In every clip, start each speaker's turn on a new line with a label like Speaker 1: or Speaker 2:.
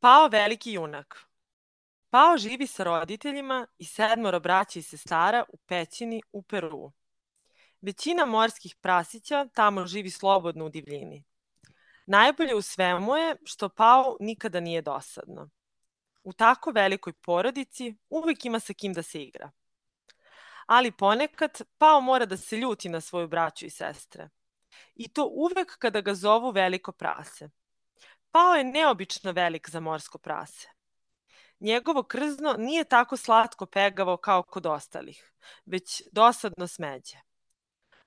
Speaker 1: Pao veliki junak. Pao živi sa roditeljima i 7 braća i sestara u pećini u Peruu. Većina morskih prasića tamo živi slobodno u divljini. Najbolje u svemu je što Pao nikada nije dosadno. U tako velikoj porodici uvek ima sa kim da se igra. Ali ponekad Pao mora da se ljuti na svoju braću i sestre. I to uvek kada ga zovu veliko prase. Pao je neobično velik za morsko prase. Njegovo krzno nije tako slatko pegavo kao kod ostalih, već dosadno smeđe.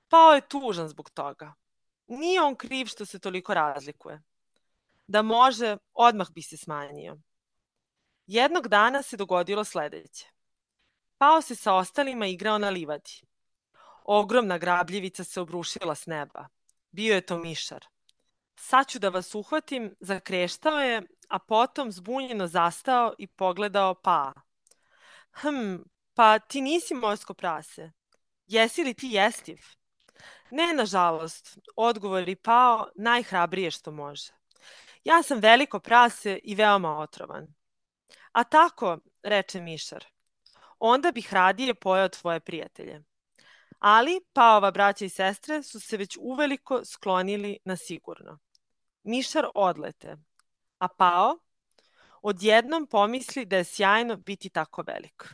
Speaker 1: Pao je tužan zbog toga. Nije on kriv što se toliko razlikuje. Da može, odmah bi se smanjio. Jednog dana se dogodilo sledeće. Pao se sa ostalima igrao na livadi. Ogromna grabljivica se obrušila s neba. Bio je to mišar. Sad ću da vas uhvatim, zakreštao je, a potom zbunjeno zastao i pogledao Paa. Pa ti nisi morsko prase. Jesi li ti jestiv? Ne, nažalost, odgovor je Pao najhrabrije što može. Ja sam veliko prase i veoma otrovan. A tako, reče mišar, onda bih radije pojeo tvoje prijatelje. Ali Paova braća i sestre su se već uveliko sklonili na sigurno. Mišar odlete, a Pao odjednom pomisli da je sjajno biti tako velik.